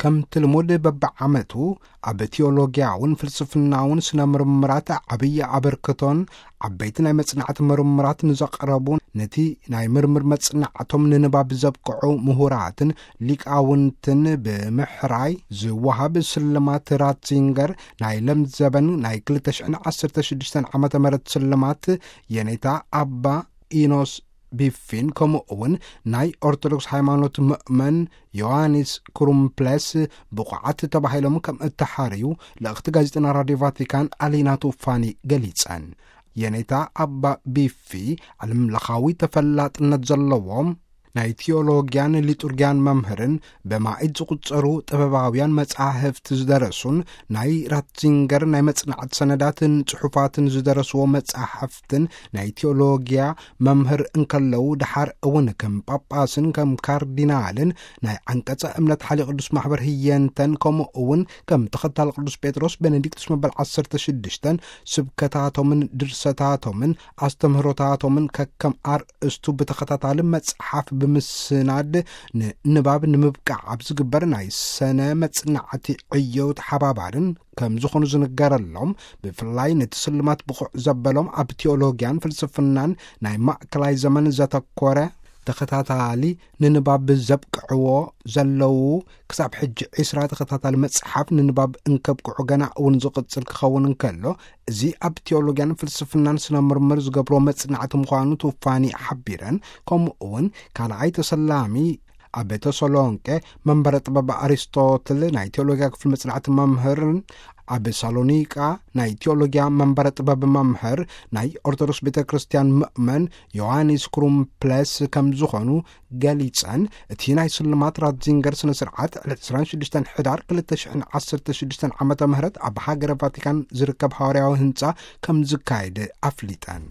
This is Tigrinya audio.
ከምቲ ልሙድ በብዓመቱ ኣብ ቲዮሎጊያውን ፍልስፍናውን ስነ ምርምራት ዓብዪ ኣበርክቶን ዓበይቲ ናይ መጽናዕቲ ምርምራት ንዘቕረቡ፣ ነቲ ናይ ምርምር መጽናዕቶም ንንባብ ዘብቅዑ ምሁራትን ሊቃውንትን ብምሕራይ ዝወሃብ ስልማት ራትዚንገር ናይ ለምዘበን ናይ ክልተ ሽሕን ዓሰርተ ሽዱሽተን ዓመተ ምህረት ስልማት የኔታ ኣባ ኢኖስ ቢፊን፣ ከምኡ እውን ናይ ኦርቶዶክስ ሃይማኖት ምእመን ዮሃንስ ክሩምፕለስ ብቑዓት ተባሂሎም ከም እተሓርዩ ልእኽቲ ጋዜጠና ራድዮ ቫቲካን ኣሊና ቱፋኒ ገሊጸን። የኔታ ኣባ ቢፊ ዓለምለኻዊ ተፈላጥነት ዘለዎም ናይ ቲዮሎጊያን ሊጡርጊያን መምህርን ብማኢት ዝቑጸሩ ጥበባውያን መጻሕፍቲ ዝደረሱን ናይ ራትዚንገር ናይ መጽናዕቲ ሰነዳትን ጽሑፋትን ዝደረስዎ መጻሕፍትን ናይ ቲዮሎጊያ መምህር እንከለዉ፣ ደሓር እውን ከም ጳጳስን ከም ካርዲናልን ናይ ዓንቀጸ እምነት ሓሊ ቅዱስ ማሕበር ህየንተን፣ ከምኡ እውን ከም ተኸታሊ ቅዱስ ጴጥሮስ ቤኔዲክቱስ መበል ዓሰርተ ሽዱሽተን ስብከታቶምን ድርሰታቶምን ኣስተምህሮታቶምን ከከም ኣርእስቱ ብተኸታታሊ መጽሓፍ ብምስናድ ንንባብ ንምብቃዕ ኣብ ዝግበር ናይ ሰነ መጽናዕቲ ዕዮ ተሓባባርን ከም ዝኾኑ ዝንገረሎም፣ ብፍላይ ነቲ ስልማት ብቑዕ ዘበሎም ኣብ ቲዮሎጊያን ፍልስፍናን ናይ ማእከላይ ዘመን ዘተኮረ ተኸታታሊ ንንባብ ዘብቅዕዎ ዘለዉ ክሳብ ሕጂ ዒስራ ተኸታታሊ መጽሓፍ ንንባብ እንከብቅዑ ገና እውን ዝቕጽል ክኸውን እንከሎ፣ እዚ ኣብ ቲዮሎጊያን ፍልስፍናን ስነ ምርምር ዝገብሮ መጽናዕቲ ምዃኑ ቱፋኒ ሓቢረን፣ ከምኡ እውን ካልኣይ ተሰላሚ ኣብ ተሰሎንቄ መንበረ ጥበብ ኣሪስቶትል ናይ ቴዎሎጊያ ክፍሊ መጽናዕቲ መምህርን ኣብ ሳሎኒቃ ናይ ቴዎሎጊያ መንበረ ጥበብ መምህር ናይ ኦርቶዶክስ ቤተ ክርስቲያን ምእመን ዮሃንስ ክሩምፕለስ ከም ዝኾኑ ገሊጸን፣ እቲ ናይ ስልማት ራትዚንገር ስነ ስርዓት ዕለት ዕስራን ሽዱሽተን ሕዳር ክልተ ሽሕን ዓሰርተ ሽዱሽተን ዓመተ ምህረት ኣብ ሃገረ ቫቲካን ዝርከብ ሃዋርያዊ ህንጻ ከም ዝካየድ ኣፍሊጠን።